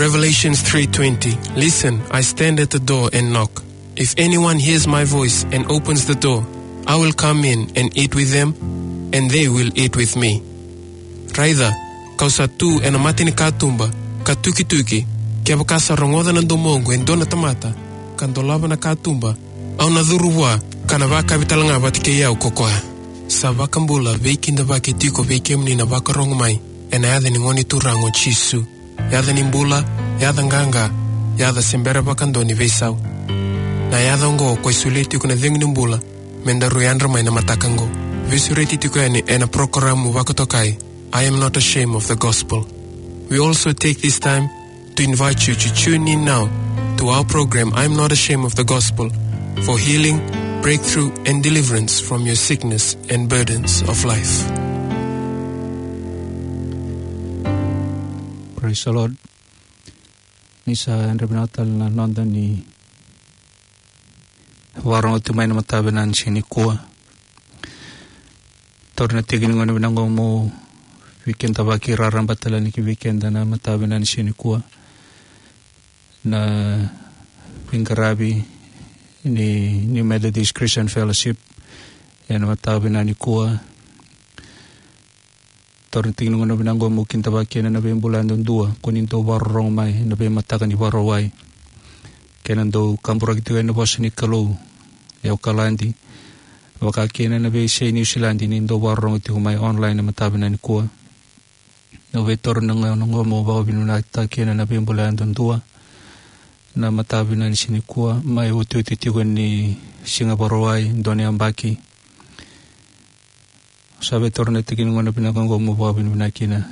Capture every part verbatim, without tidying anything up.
Revelations three twenty. "Listen, I stand at the door and knock. If anyone hears my voice and opens the door, I will come in and eat with them, and they will eat with me." Raica, kau sa tu ena mata ni katuba, ka tukituki, kevaka sa rogoca na domoqu e dua na tamata, ka dolava na katuba, au na curu vua, ka na vakavi tale ga vata kei au ko koya. Sa vakabula, veikidavaki tiko vei kemuni na vakarogo mai, ena yaca ni Gone Turaga o Jisu. Yaca ni bula, yaca qaqa, yaca se bera vakadua ni veisau. Na yaca oqo ko e solia tiko na cegu ni bula, me daru yadra mai na mataka oqo. Veisureti tiko yani ena porokaramu vakatokai, I Am Not Ashamed of the Gospel. We also take this time to invite you to tune in now to our program, I Am Not Ashamed of the Gospel, for healing, breakthrough, and deliverance from your sickness and burdens of life. Praise the Lord. Ni sa yadra vinaka tale na noda ni vakarogo tu mai na mataka vinaka ni siga nikua. Taura na tiki ni gauna vinaka oqo meu veikidavaki raraba tale yani ki vei keda na mataka vinaka ni siga nikua. Na veiqaravi ni New Methodist Christian Fellowship ena mataka vinaka nikua. Taura na tiki ni gauna vinaka oqo meu kidavaki kina na veibula yadudua ko ni dau vakarorogo mai na veimataka ni Vakarauwai, kei na dau kaburaki tiko ena vosa ni Kalou e Okaladi, vaka kina na veiyasai Niusiladi ni dau vakarorogo tiko mai online na mataka vinaka nikua. Au via taura na gauna oqo meu vakavinavinakataka kina na veibula yadudua na mataka vinaka ni siga nikua, mai otioti tiko ni siga Vakarauwai, dua na yabaki. Sa via taura na tiki ni gauna vinaka oqo meu vakavinavinaka kina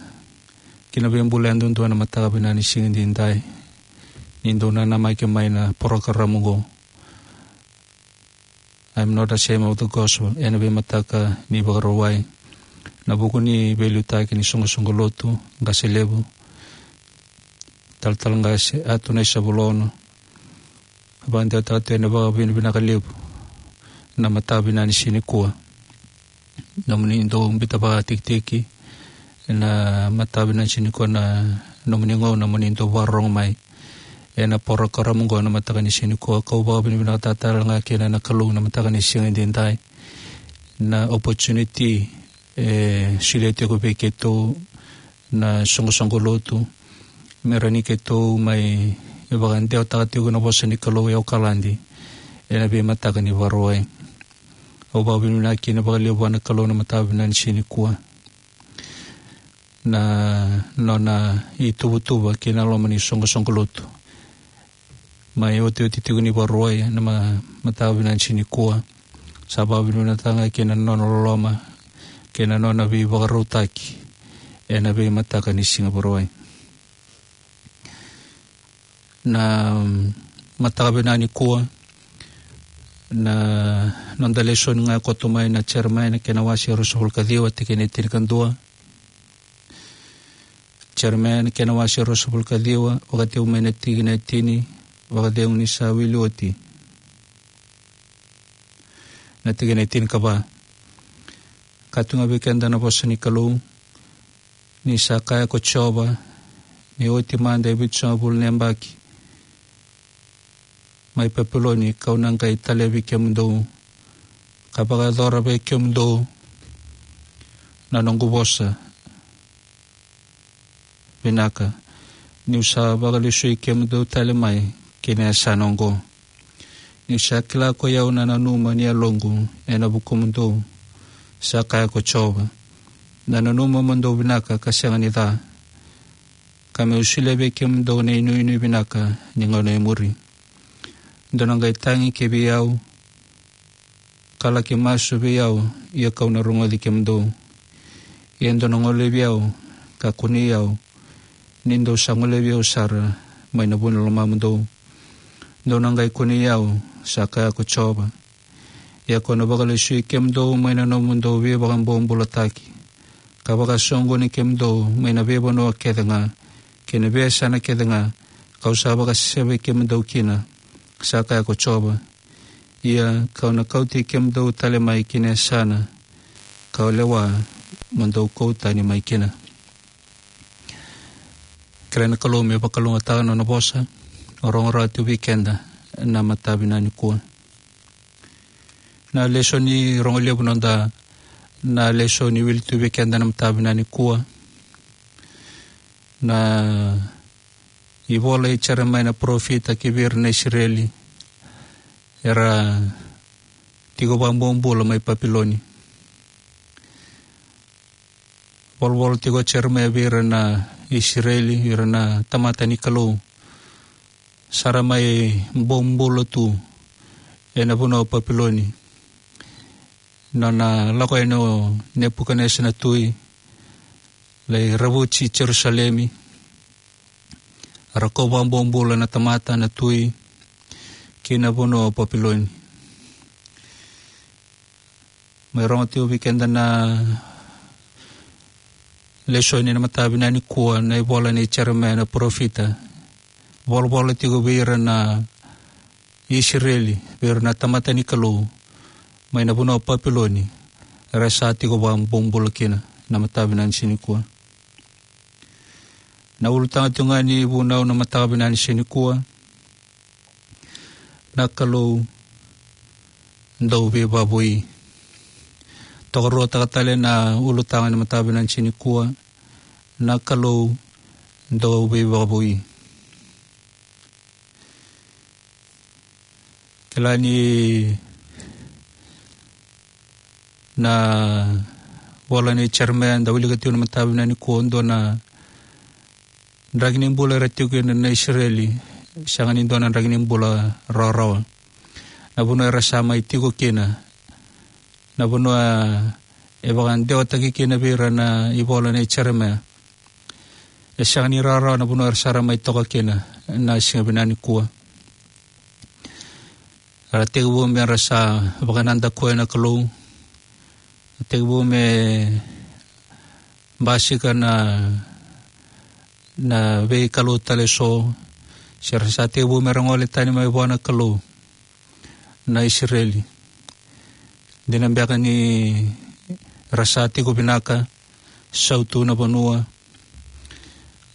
ki na veibula yadudua na mataka vinaka ni siga edaidai, ni dau nanamaki mai na porokaramu oqo, I Am Not Ashamed of the Gospel, ena veimataka ni Vakarauwai, na vuku ni veiliutaki ni soqosoqo lotu, qase levu, talatala qase Atu Naisavulonu. Vakadewataka tu ena vakavinavinaka levu na mataka vinaka ni siga nikua. Nomuni dau biuta vakatikitiki na mataka vinaka ni siga nikua, na nomuni gauna mo ni dau vakarorogo mai ena porokaramu oqo na mataka ni siga nikua. Kau vakavinavinakataka tale ga kina na Kalou na mataka ni siga edaidai, na opportunity e solia tiko vei keitou na soqosoqo lotu, me rawa ni keitou mai vakadewataka tiko na vosa ni Kalou e Okaladi ena veimataka ni Vakarauwai. Au vakavinavinaka kina vakalevu vua na Kalou na mataka vinaka ni siga nikua, na nona ituvatuva kei na loma ni soqosoqo lotu. Mai otioti tiko ni Vakarauwai na ma-, mataka vinaka ni siga nikua, sa vakavinavinakataka ga kina na nona loloma kei na nona veivakarautaki ena veimataka ni siga Vakarauwai. Na, mm, mataka vinaka nikua, na noda lesoni ga e koto mai na Jeremaia na kena wase ruasagavulu ka ciwa, tikina e tinikadua. Jeremaia na kena wase ruasagavulu ka ciwa, vakatekivu mai na tikina e tini, vakacegu ni sa wili oti na tikina e tinikava. Ka tu ga vei keda na vosa ni Kalou, ni sa kaya ko Jiova, ni oti mada e vitusagavulu na yabaki mai Papiloni, kau na qai talevi kemudou, ka vakayacora vei kemudou na noqu vosa vinaka, niu sa vakalesui kemudou tale mai ki na yasana oqo. Niu sa kila ko i au na nanuma ni yaloqu ena vukumudou, sa kaya ko Jiova, na nanuma mo dou vinaka ka sega ni ca, ka meu solia vei kemudou na inuinui vinaka ni gauna e muri. Dou na qai tagi ki vei au, ka laki masu vei au, ia kau na rogoci kemudou. Ia dou na golevi au, ka kunei au, ni dou sa golevi au sara mai na vu ni lomamudou. Dou na qai kunei au, sa kaya ko Jiova. Ia kau na vakalesui kemudou mai na nomudou veivakabobulataki, ka vakasoqoni kemudou mai na veivanua kece ga kei na veiyasana kece ga kau sa vakasesevei kemudou kina, sa kaya ko Jiova. Ia kau na kauti kemudou tale mai ki na yasana kau lewa mo dou kau tani mai kina. Kerea na Kalou me vakalougatataka na nona vosa, rogo rawa tu vei keda na mataka vinaka nikua. Na lesoni rogo levu noda, na lesoni wili tu vei keda na mataka vinaka nikua. Na ivola i Jeremaia na parofita ki vei ira na Isireli, era tiko vakabobula mai Papiloni. Volavola tiko o Jeremaia vei ira na Isireli, ira na tamata ni Kalou, sa ra mai bobula tu ena vanua o Papiloni. Nona lako yani o Nepukanesa na tui, lai ravuti Jerusalemi, ra kau vakabobula na tamata, na tui, ki na vanua o Papiloni. Mai rogo tiko vei keda na lesoni na mataka vinaka nikua, na ivola nei Jeremaia na parofita. Volavola tiko vei ira na Isireli, vei ira na tamata ni Kalou, mai na vanua o Papiloni, era sa tiko vakabobula kina, na mataka vinaka ni siga nikua. Na ulutaga tiko ga ni vunau na mataka vinaka ni siga nikua: Na Kalou dau veivakavoui. Tokaruataka tale na ulutaga ni mataka vinaka ni siga nikua: Na Kalou dau veivakavoui. Kila ni na vola nei Jeremaia da wilika tiko na mataka vinaka nikua, dua na draki ni bula era tiko kina na Isireli, sega ni dua na draki ni bula rawarawa. Na vanua era sa mai tiko kina, na vanua e vakadewataki kina vei ira na ivola nei Jeremaia, e sega ni rawarawa na vanua era sa ra mai toka kina na siga vinaka nikua. Era tekivu me ra sa vakanadakuya na Kalou. Tekivu me basika na, na veikalou tale eso. Se ra sa tekivu me ra gole tani mai vua na Kalou na Isireli. Dina beka ni ra sa tiko vinaka, sautu na vanua,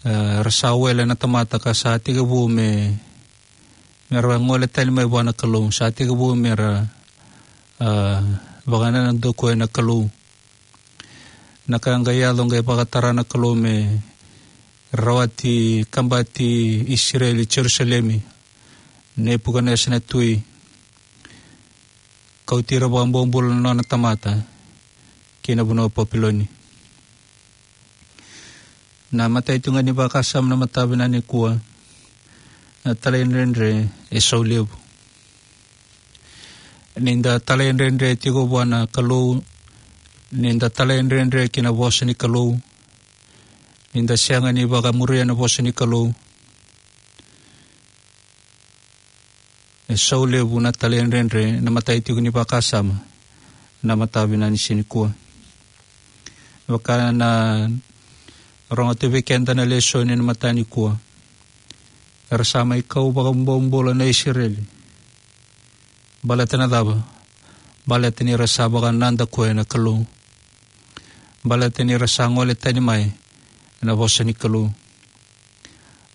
e, ra sa wele na tamata ka sa tekivu me, me ra gole tani mai vua na Kalou, sa tekivu me ra, e, vakanadakuya na Kalou. Na ka qai yaco, qai vakatara na Kalou me rawati, kabati Isireli, Jerusalemi, Nepukanesa na tui, kauti ira vakabobula na nona tamata ki na vanua o Papiloni. Na imatai tu ga ni vakasama na mataka vinaka nikua: Na talaidredre e sau levu. Ni da talaidredre tiko vua na Kalou, ni da talaidredre ki na vosa ni Kalou, ni da sega ni vakamuria na vosa ni Kalou, e sau levu na talaidredre. Na imatai tiko ni vakasama na mataka vinaka ni siga nikua. Vaka na rogo tu vei keda na lesoni na mataka nikua: Era sa mai kau vakabobula na Isireli. Baleta na cava? Baleta ni ra sa vakanadakuya na Kalou. Baleta ni ra sa gole tani mai na vosa ni Kalou.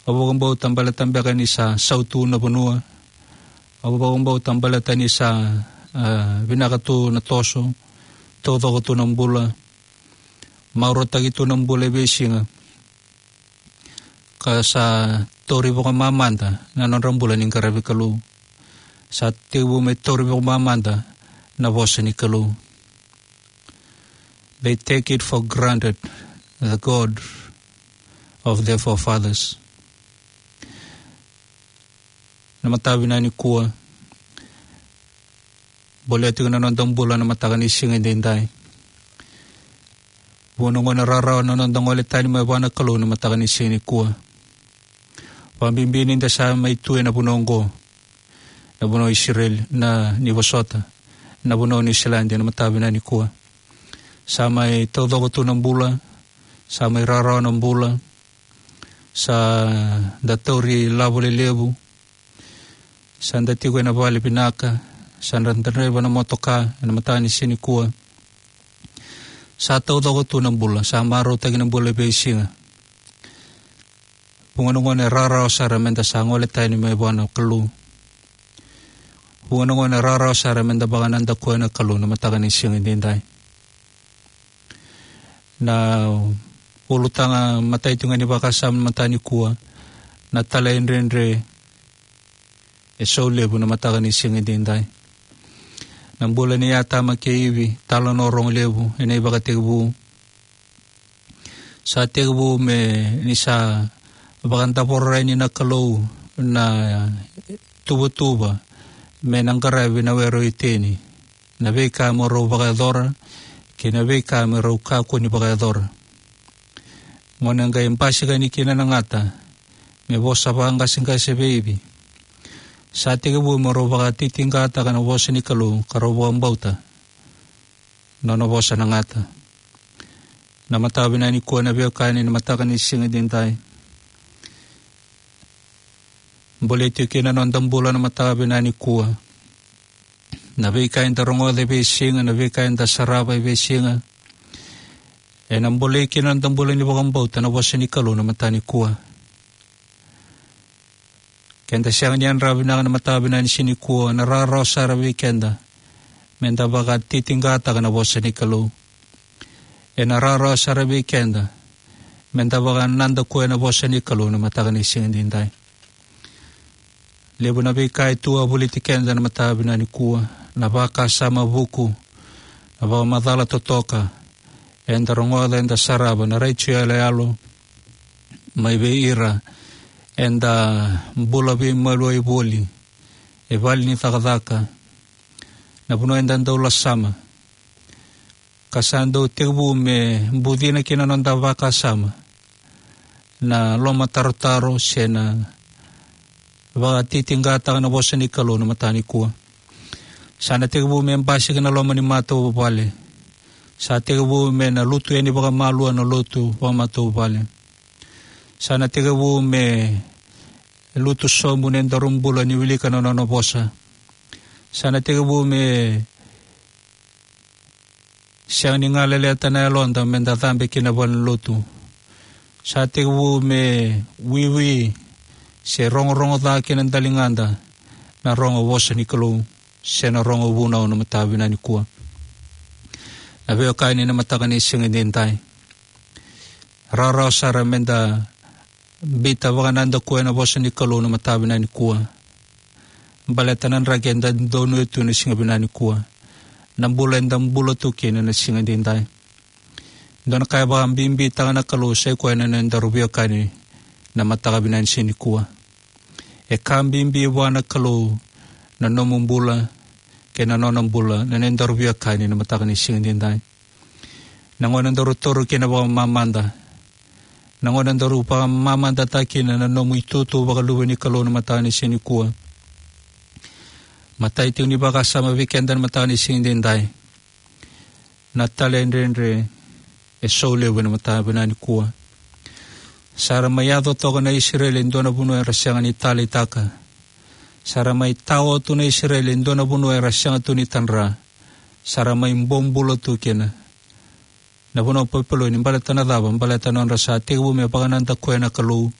Au vakabauta baleta beka ni sa sautu na vanua. Au vakabauta baleta ni sa, ah, vinaka tu na toso, taucoko tu na bula, marautaki tu na bula e veisiga, ka sa tauri vakamamada na nodra bula ni qaravi Kalou. Sa tekivu me tauri vakamamada na vosa ni Kalou. They take it for granted, the God of their forefathers. Na mataka vinaka nikua, bolea tiko na noda bula na mataka ni siga edaidai. Vua na gauna rawarawa na noda gole tani mai vua na Kalou na mataka ni siga nikua. Vakabibi ni da sa mai tu ena vanua oqo, na vanua o Isireli, na, ni vosota, na vanua o Niusiladi, na mataka vinaka nikua. Sa mai taucoko tu na bula, sa mai rawarawa na bula, sa da tauri lavo lelevu, sa da tiko ena vale vinaka, sa da draiva na motoka ena mataka ni siga nikua. Sa taucoko tu na bula, sa marautaki na bula e veisiga. Vuqa na gauna e rawarawa sara meda sa gole tani mai vua na Kalou. Vuqa na gauna e rawarawa sara meda vakanadakuya na Kalou na mataka ni siga edaidai. Na ulutaga matai tu ga ni vakasama mataka nikua, na talaidredre e saulevu na mataka ni siga edaidai. Na bula nei Atama kei Ivi, talanoa rogo levu ena ivakatekivu. Sa tekivu me ni sa vakadavora yani na Kalou na tuvatuva me na qaravi na were o Iteni, na veika me rau vakayacora kei na veika me rau kakua ni vakayacora. Gauna e qai basika yani kina na gata me vosa vakaqaseqase vei Ivi, sa tekivu me rau vakatitiqataka na vosa ni Kalou ka rau vakabauta na nona vosa na gata. Na mataka vinaka nikua na veiwekani, na mataka ni siga edaidai, bolei tiko kina na noda bula na mataka vinaka nikua. Na veika eda rogoca e veisiga, na veika eda sarava e veisiga, ena bolei kina na noda bula ni vakabauta na vosa ni Kalou na mataka nikua. Keda sega ni yadrava vinaka na mataka vinaka ni siga nikua, na rawarawa sara vei keda meda vakatitiqataka na vosa ni Kalou. Ena rawarawa sara vei keda meda vakanadakuya na vosa ni Kalou na mataka ni siga edaidai. Levu na veika e tu wavoliti keda na mataka vinaka nikua, na vakasama vuku, na vakamacala totoka eda rogoca, eda sarava, na retio yaloyalo mai vei ira eda bula veimaliwai voli, e vale ni cakacaka, na vanua eda dau lasama, ka sa dau tekivu me bucina kina na noda vakasama na lomatarotaro se na vakatitiqataka na vosa ni Kalou na mataka nikua. Sa na tekivu me basika na loma ni matavuvale. Sa tekivu me na lutu yani vakamalua na lotu vakamatavuvale. Sa na tekivu me lutu sobu na nodaru bula ni wilika na nona vosa. Sa na tekivu me sega ni galeleta na yaloda meda cabe ki na valenilotu. Sa tekivu me wiwi se rogorogo ca ki na daligada na rogo vosa ni Kalou se na rogo vunau na mataka vinaka nikua. Na veiwekani, na mataka ni siga edaidai, rawarawa sara meda biuta vakanadakuya na vosa ni Kalou na mataka vinaka nikua. Baleta na draki eda donuya tu na siga vinaka nikua, na bula eda bula tu kina na siga edaidai. Dua na ka e vakabibitaka na Kalou sa i koya na nodaru veiwekani na mataka vinaka ni siga nikua. E ka bibi vua na Kalou na nomu bula kei na nona bula na nodaru veiwekani na mataka ni siga edaidai. Na gauna daru taura kina vakamamada, na gauna daru vakamamadataka kina na nomu itutu vakaluve ni Kalou na mataka ni siga nikua. Matai tiko ni vakasama vei keda na mataka ni siga edaidai, na talaidredre e saulevu na mataka vinaka nikua. Sa ra mai yaco toka na Isireli e dua na vanua era sega ni taleitaka. Sa ra mai tawa tu na Isireli e dua na vanua era sega tu ni tadra. Sa ra mai bobula tu kina. Na vanua o Papiloni, baleta na cava? Baleta nodra sa tekivu me vakanadakuya na Kalou.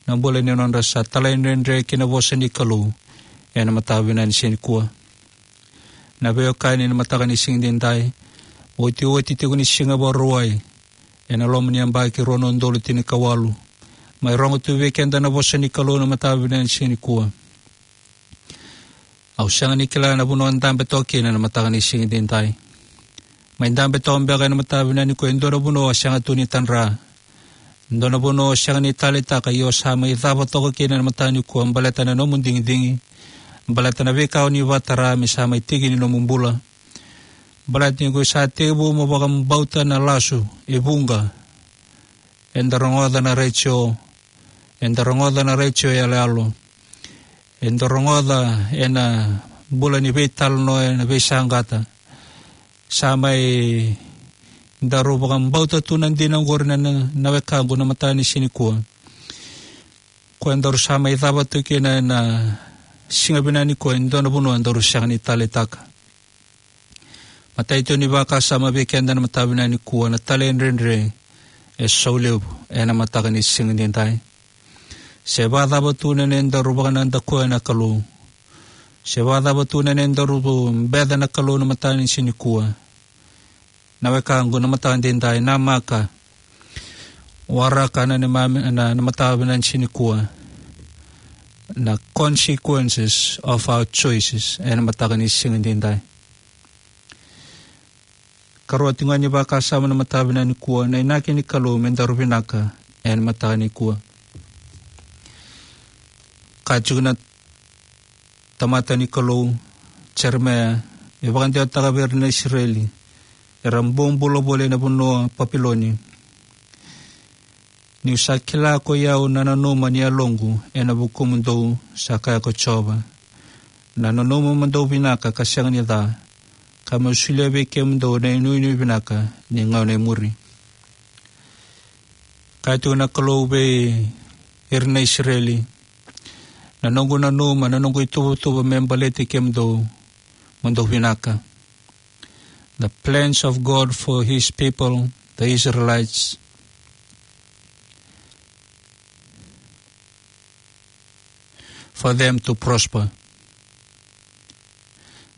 Na bula ni nodra sa talaidredre ki na vosa ni Kalou ena mataka vinaka ni siga nikua. Na veiwekani, na mataka ni siga edaidai, otioti tiko ni siga Vakarauwai ena loma ni yabaki rua na udolu tinikawalu. Mai rogo tu vei keda na vosa ni Kalou na mataka vinaka ni siga nikua. Au sega ni kila na vanua dabe toka kina na mataka ni siga edaidai. Mai dabe toka beka ena mataka vinaka nikua e dua na vanua o sega tu ni tadra, dua na vanua o sega ni taleitaka, ia o sa mai cava toka kina na mataka nikua, baleta na nomu digidigi, baleta na veika o ni vakatara me sa mai tiki ni nomu bula. Baleta ni ko sa tekivu mo vakabauta na lasu e vuqa. Eda rogoca na retio, eda rogoca na retio yaloyalo, eda rogoca ena bula ni veitalanoa ena veisaqata. Sa mai daru vakabauta tu na dina oqori na, na, na wekaqu na mataka ni siga nikua. Ko edaru sa mai cava tu kina ena siga vinaka nikua e dua na vanua daru sega ni taleitaka. Matai tiko ni vakasama vei keda na mataka vinaka nikua, na talaidredre e saulevu ena mataka ni siga edaidai. Se vakacava tu na nodaru vakanadakuya na Kalou, se vakacava tu na nodaru beca na Kalou na mataka ni siga nikua, na wekaqu, na mataka edaidai, namaka, waraka na neimami, na, na mataka vinaka ni siga nikua, na consequences of our choices ena mataka ni siga edaidai. Karua tiko ga ni vakasama na mataka vinaka nikua, na inaki ni Kalou me daru vinaka ena mataka nikua. Kaya tiko na tamata ni Kalou, Jeremaia, e vakadewataka vei ira na Isireli era bobula voli ena vanua Papiloni: Niu sa kila koi au na nanuma ni yaloqu ena vukumudou, sa kaya ko Jiova. Na nanuma mo dau vinaka ka sega ni ca, ka me'u solia vei kemudou na inuinui vinaka ni gauna e muri. Kaya tiko na Kalou vei ira na Isireli: Na noqu nanuma, na noqu ituvatuva me baleti kemudou, mo dou vinaka. The plans of God for his people, the Israelites, for them to prosper.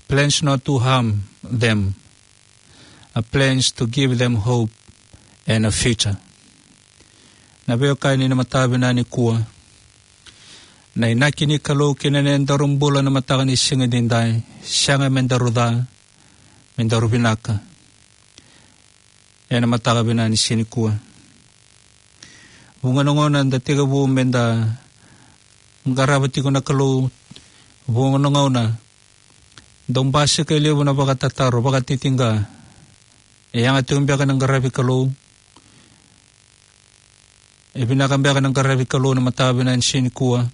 Plans not to harm them, a plans to give them hope and a future. Na veiwekani, na mataka vinaka nikua, na inaki ni Kalou ki na nodaru bula na mataka ni siga edaidai, sega me daru ca, me daru vinaka ena mataka vinaka ni siga nikua. Vuqa na gauna da tekivu me da qarava tiko na Kalou, vuqa na gauna dau basika e levu na vakatataro, vakatitiqa. E yaga tiko beka na qaravi Kalou? E vinaka beka na qaravi Kalou na mataka vinaka ni siga nikua?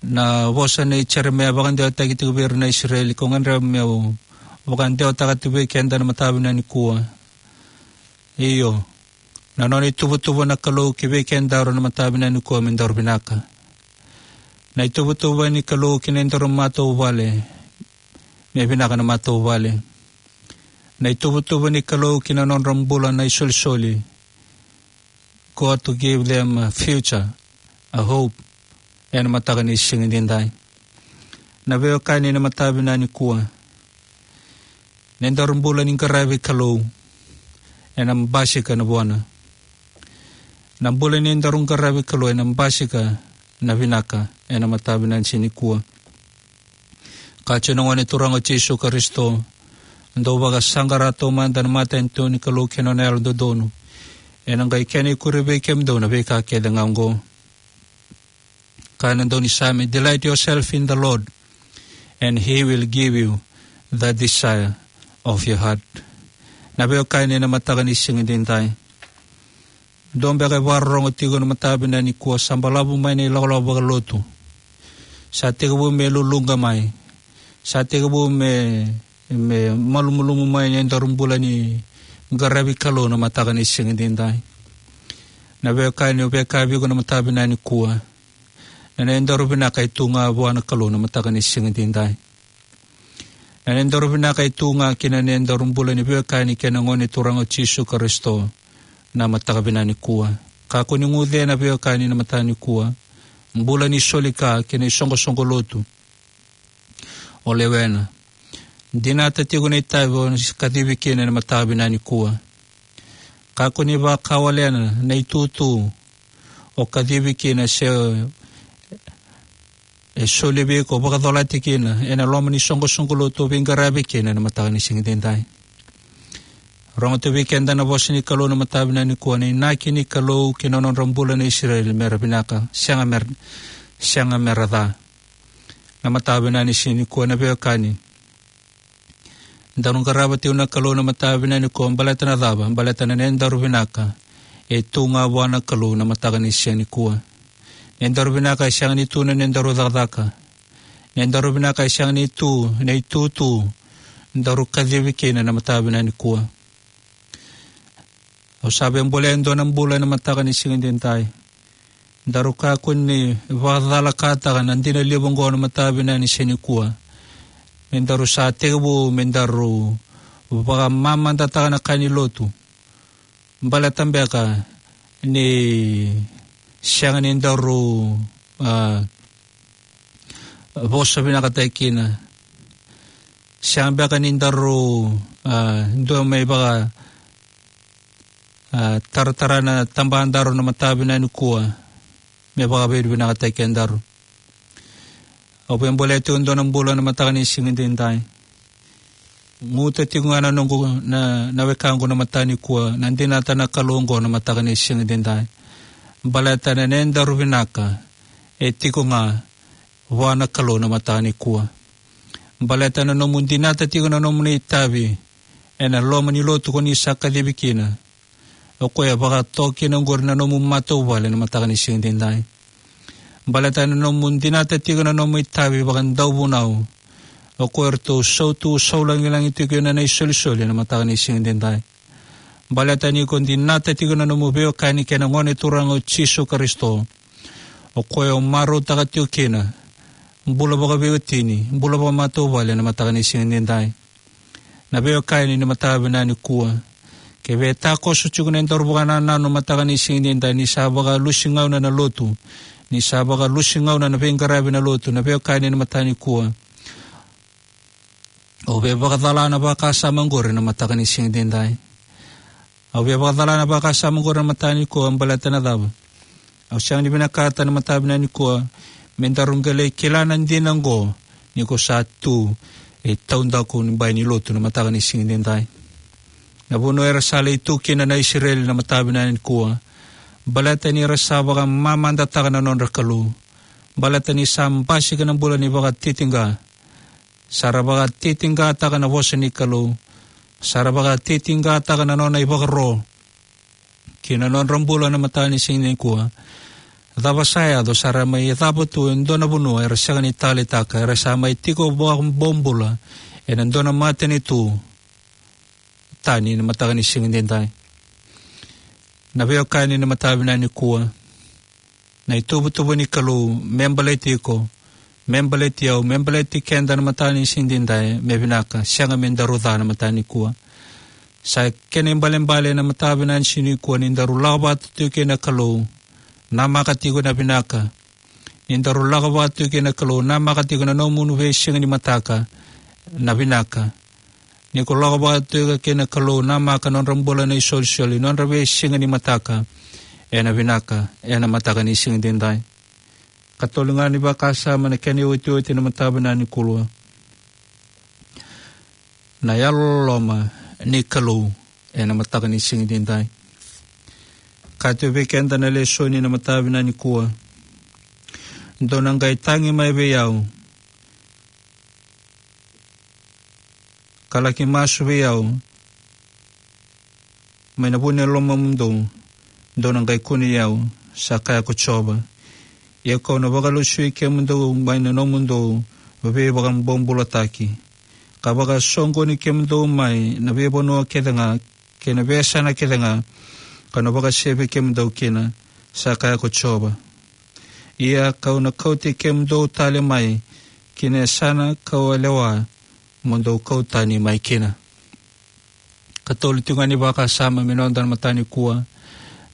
Na vosa nei Jeremaia vakadewataki tiko vei ira na Isireli, kau gadreva me'u vakadewataka tiko vei keda na mataka vinaka nikua. Io, na nona ituvatuva na Kalou ki vei kedaru na mataka vinaka nikua me daru vinaka. Na ituvatuva ni Kalou ki na nodaru matavuvale, me vinaka na matavuvale. Na ituvatuva ni Kalou ki na nodra bula na isolisoli, God to give them a future, a hope, ena mataka ni siga edaidai. Na veiwekani, na mataka vinaka nikua, na nodaru bula ni qaravi Kalou ena basika na vuana. Na bula ni nodaru qaravi Kalou ena basika na vinaka ena mataka vinaka ni siga nikua. Kaya tiko na Gone Turaga o Jisu Karisito: Dou vakasaqara taumada na matanitu ni Kalou kei na nona yalododonu, ena qai kena ikuri vei kemudou na veika kece ga oqo. Kaya na daunisame: Delight yourself in the Lord, and he will give you the desire of your heart. Na veiwekani, na mataka ni siga edaidai, dou beka e vakarorogo tiko na mataka vinaka nikua, sa balavu mai na ilakolako vakalotu. Sa tekivu me luluqa mai. Sa tekivu me, me malumalumu mai na nodaru bula ni qaravi Kalou na mataka ni siga edaidai. Na veiwekani, au via kaya vei iko na mataka vinaka nikua, na nodaru vinaka e tu ga vua na Kalou na mataka ni siga edaidai. Na nodaru vinaka e tu ga ki na nodaru bula ni veiwekani kei na Gone Turaga o Jisu Karisito na mataka vinaka nikua. Kakua ni guce na veiwekani na mataka nikua. Bula ni soli ka kei na isoqosoqo lotu o lewena. Dinata tiko na itavi o kacivi kina na mataka vinaka nikua. Kakua ni vakawalena na itutu o kacivi kina se e soli vei iko, vakacolati kina ena loma ni soqosoqo lotu o veiqaravi kina na mataka ni siga edaidai. Rogo tu vei keda na vosa ni Kalou na mataka vinaka nikua, na inaki ni Kalou ki na nodra bula na Isireli mera vinaka, sega mera, sega mera ca. Na mataka vinaka ni siga nikua, na veiwekani, daru qarava tiko na Kalou na mataka vinaka nikua, baleta na cava? Baleta na nodaru vinaka e tu ga vua na Kalou na mataka ni siga nikua. Nodaru vinaka e sega ni tu na nodaru cakacaka. Nodaru vinaka e sega ni tu na itutu daru kacivi kina na mataka vinaka nikua. Au sa via bolea e dua na bula ena mataka ni siga edaidai. Daru kakua ni vakacalakataka na dina levu oqo na mataka vinaka ni siga nikua. Me daru sa tekivu me daru vakamamadataka na ka ni lotu, baleta beka ni sega ni daru, a, vosa vinakataki kina. Sega beka ni daru, a, dua mai vaka, a, taratara na tabadaru na mataka vinaka nikua me vakavinavinakataki kedaru. Au via bolea tiko e dua na bula na mataka ni siga edaidai. Guta tiko ga na noqu, na, na wekaqu na mataka nikua, na dinata na Kalou oqo na mataka ni siga edaidai. Baleta na nodaru vinaka e tiko ga vua na Kalou na mataka nikua. Baleta na nomu dinata tiko na nomuni itavi ena loma ni lotu ko ni sa kacivi kina, o koya e vakatoka kina oqori na nomu matavuvale na mataka ni siga edaidai. Baleta na nomu dinata tiko na nomu itavi vakadauvunau, o koya eratou sautu saulagilagi tiko kina na isolisoli na mataka ni siga edaidai. Baleta ni ko dinata tiko na nomu veiwekani kei na Gone Turaga o Jisu Karisito, o koya o marautaka tiko kina bula vakaveiwatini, bula vakamatavuvale na mataka ni siga edaidai. Na veiwekani ni mataka vinaka nikua, ke via takoso tiko na nodaru vakanananu mataka ni siga edaidai, ni sa vakalusi gauna na lotu, ni sa vakalusi gauna na veiqaravi na lotu, na veiwekani ni mataka nikua, au via vakacala na vakasama oqori na mataka ni siga edaidai. Au via vakacala na vakasama oqori na mataka nikua, baleta na cava? Au sega ni vinakata na mataka vinaka nikua me daru qai lai kila na dina oqo ni ko sa tu e taudaku ni bai ni lotu na mataka ni siga edaidai. Na vanua era sa lai tu kina na Isireli na mataka vinaka nikua, baleta ni ra sa vakamamadataka na nodra Kalou, baleta ni sa basika na bula ni vakatitiqa, sa ra vakatitiqataka na vosa ni Kalou, sa ra vakatitiqataka na nona ivakaro ki na nodra bula na mataka ni siga nikua. Cava sa yaco? Sa ra mai cava tu e dua na vanua era sega ni taleitaka, era sa mai tiko vakabobula ena dua na matanitu tani na mataka ni siga edaidai. Na veiwekani na mataka vinaka nikua, na ituvatuva ni Kalou me baleti iko, me baleti au, me baleti keda na mataka ni siga edaidai, me vinaka, sega me daru ca na mataka nikua. Sa kena ibalebale na mataka vinaka ni siga nikua ni daru lako vata tiko kei na Kalou namaka tiko na vinaka. Ni daru lako vata tiko kei na Kalou namaka tiko na nomuni veisiga ni mataka na vinaka. Ni ko lako vata tiko kei na Kalou namaka nodra bula na isolisoli, nodra veisiga ni mataka ena vinaka, ena mataka ni siga edaidai. Katolu ga ni vakasama na kena iotioti na mataka vinaka nikua, na yalololoma ni Kalou ena mataka ni siga edaidai. Kaya tu vei keda na lesoni na mataka vinaka nikua: Dou na qai tagi mai vei au ka laki masu vei au mai na vu ni lomamudou, dou na qai kunei au, sa kaya ko Jiova. Ia kau na vakalesui kemudou mai na nomudou veivakabobulataki, ka vakasoqoni kemudou mai na veivanua kece ga kei na veiyasana kece ga kau na vakasevi kemudou kina, sa kaya ko Jiova. Ia kau na kauti kemudou tale mai ki na yasana kau a lewa mo dou kau tani mai kina. Katolu tiko ga ni vakasama me noda na mataka nikua,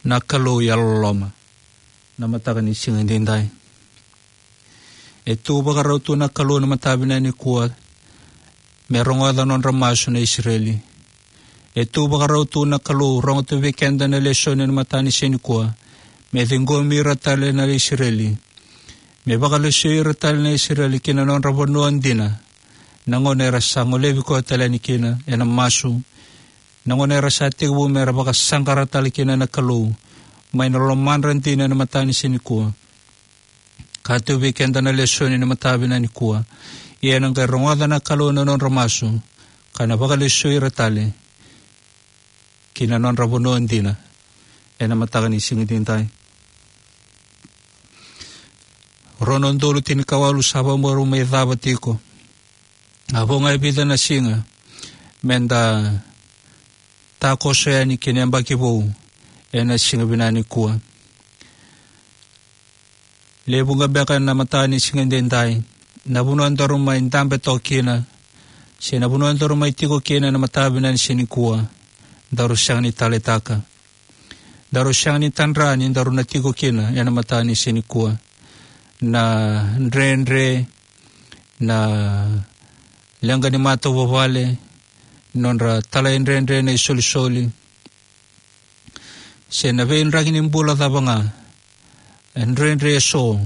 na Kalou yalololoma na mataka ni siga edaidai. E tu vakarau tu na Kalou na mataka vinaka nikua me rogoca nodra masu na Isireli. E tu vakarau tu na Kalou, rogo tu vei keda na lesoni na mataka ni siga nikua, me ciqomi ira tale na Isireli, me vakalesui ira tale na Isireli ki na nodra vanua dina. Na gauna era sa golevi koya tale yani kina ena masu, na gauna era sa tekivu me ra vakasaqara tale kina na Kalou mai na lomadra dina na mataka ni siga nikua. Kaya tu vei keda na lesoni na mataka vinaka nikua: Ia ena qai rogoca na Kalou na nodra masu, ka na vakalesui ira tale ki na nodra vanua dina ena mataka ni siga edaidai. Rua na udolu tinikawalu sa vakarau mai cava tiko. A vo ga e vica na siga me da takoso yani ki na yabaki vou ena siga vinaka nikua. Levu ga beka na mataka ni siga edaidai na vanua daru mai dabe toka kina, se na vanua daru mai tiko kina na mataka vinaka ni siga nikua, daru sega ni taleitaka. daru sega ni tadra ni daru na tiko kina ena mataka ni siga nikua. Na dredre, na leqa ni matavuvale, nodra talaidredre na isolisoli, se na veidraki ni bula cava ga, e dredre eso,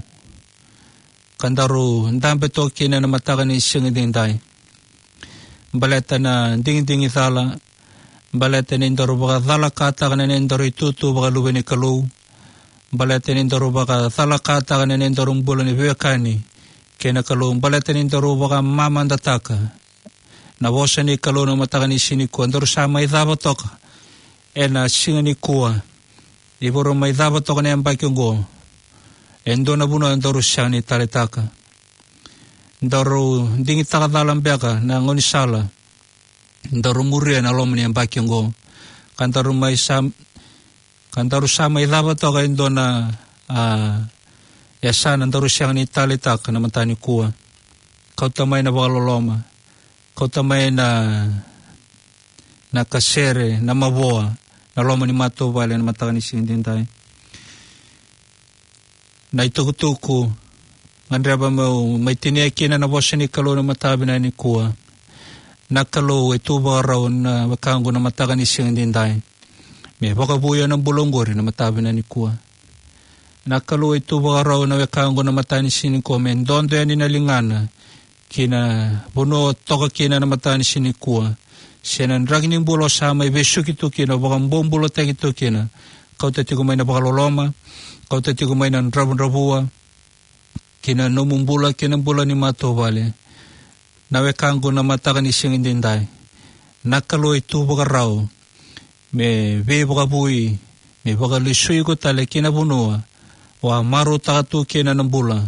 ka daru dabe toka kina ena mataka ni siga edaidai. Baleta na digidigi cala, baleta ni daru vakacalakataka na nedaru itutu vakaluve ni Kalou, baleta ni daru vakacalakataka na nedaru bula ni veiwekani kei na Kalou, baleta ni daru vakamamadataka na vosa ni Kalou na mataka ni siga nikua, daru sa mai cava toka ena siga nikua, ni vakarau mai cava toka na yabaki oqo, e dua na vanua daru sega ni taleitaka. Daru digitaka cala beka na gaunisala daru muria ena loma ni yabaki oqo, ka daru mai sa, ka daru sa mai cava toka e dua na, a, yasana daru sega ni taleitaka na mataka nikua. Kauta mai na vakaloloma, kauta mai na, na kasere, na mavoa, na loma ni matavuvale na mataka ni siga edaidai. Na itukutuku gadreva meu mai tinia kina na vosa ni Kalou na mataka vinaka nikua. Na Kalou e tu vakarau na wekaqu na mataka ni siga edaidai, me vakavuya na bula oqori na mataka vinaka nikua. Na Kalou e tu vakarau na wekaqu na mataka ni siga nikua, me dodo yani na ligana ki na vanua o toka kina na mataka ni siga nikua, se na draki ni bula o sa mai vesuki tu kina, o vakabobulataki tu kina. Kauta tiko mai na vakaloloma, kauta tiko mai na dravudravua ki na nomu bula, ki na bula ni matavuvale. Na wekaqu na mataka ni siga edaidai, na Kalou e tu vakarau me veivakavoui, me vakalesui iko tale ki na vanua o a marautaka tu kina na bula,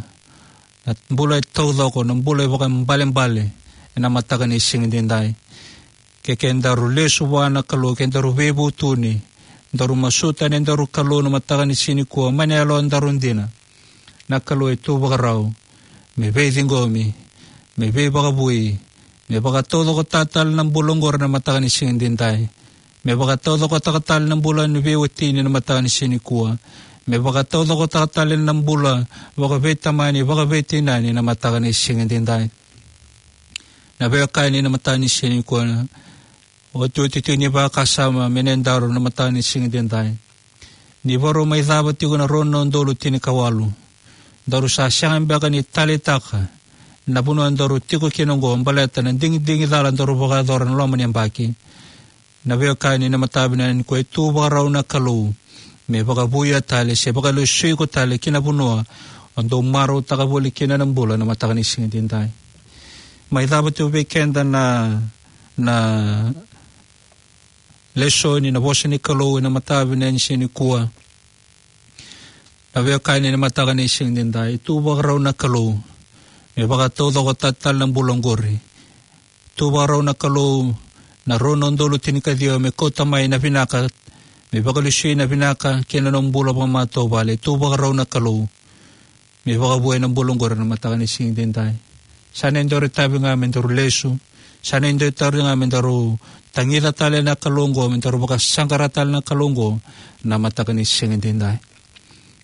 na bula e taucoko, na bula e vakaibalebale ena mataka ni siga edaidai. Ke, ke daru lesu vua na Kalou, ke daru veivutuni, daru masuta na nedaru Kalou na mataka ni siga nikua mai na yalodaru dina. Na Kalou e tu vakarau me veiciqomi, me veivakavoui, me vakataucokotaka tale na bula oqori na mataka ni siga edaidai, me vakataucokotaka tale na bula ni veiwatini na mataka ni siga nikua, me vakataucokotaka tale na bula vakaveitamani, vakaveitinani na mataka ni siga edaidai. Na veiwekani na mataka ni siga nikua, otioti tiko ni vakasama me nedaru na mataka ni siga edaidai. Ni vakarau mai cava tiko na rua na udolu tinikawalu, daru sa sega beka ni taleitaka na vanua daru tiko kina oqo, baleta na digidigi cala daru vakayacora na loma ni yabaki. Na veiwekani na mataka vinaka nikua, e tu vakarau na Kalou me vakavuya tale se vakalesui iko tale ki na vanua o dau marautaka voli kina na bula na mataka ni siga edaidai. Mai cava tiko vei keda na, na lesoni, na vosa ni Kalou ena mataka vinaka ni siga nikua. Na veiwekani na mataka ni siga edaidai, e tu vakarau na Kalou me vakataucokotaka tale na bula oqori. Tu vakarau na Kalou na rua na udolu tinikaciwa me kauta mai na vinaka, me vakalesui na vinaka ki na nomu bula vakamatavuvale. Tu vakarau na Kalou me vakavuya na bula oqori na mataka ni siga edaidai. Sa na dua na itavi ga me daru lesu, sa na dua na itavi ga me daru tagica tale na Kalou oqo, me daru vakasaqara tale na Kalou oqo na mataka ni siga edaidai.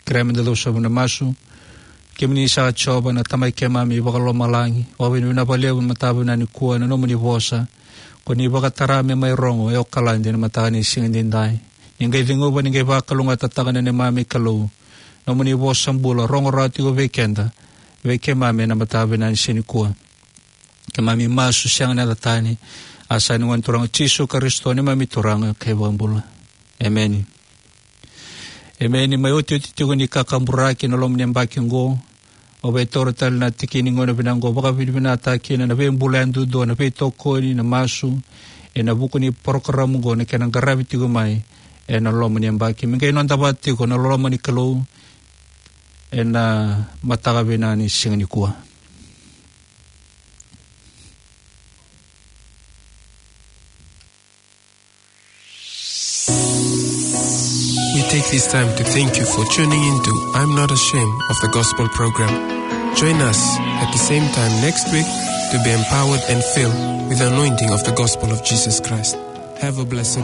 Kerea me da cuva sobu ena masu. Kemuni saka Jiova na Tamai keimami vakalomalagi, vakavinavinaka vakalevu na mataka vinaka nikua na nomuni vosa ko ni vakatara me mai rogo e Okaladi na mataka ni siga edaidai. Ni qai ceguva, ni qai vakalougatataka na neimami Kalou nomuni vosa bula rogo rawa tiko vei keda, vei keimami ena mataka vinaka ni siga nikua. Keimami masu sega ni yaca tani, a sa ni Gone Turaga Jisu Karisito neimami Turaga kei Vakabula. Emeni. Emeni. Mai otioti tiko ni kakaburaki na loma ni yabaki oqo, au via taura tale na tiki ni gauna vinaka oqo, vakavinavinakataka kina na veibula yadudua, na veitokoni, na masu ena vuku ni porokaramu oqo, na kena qaravi tiko mai ena loma ni yabaki. Me qai noda vata tiko na loloma ni Kalou ena mataka vinaka ni siga nikua. We take this time to thank you for tuning in to I'm Not Ashamed of the Gospel program. Join us at the same time next week to be empowered and filled with the anointing of the gospel of Jesus Christ. Have a blessed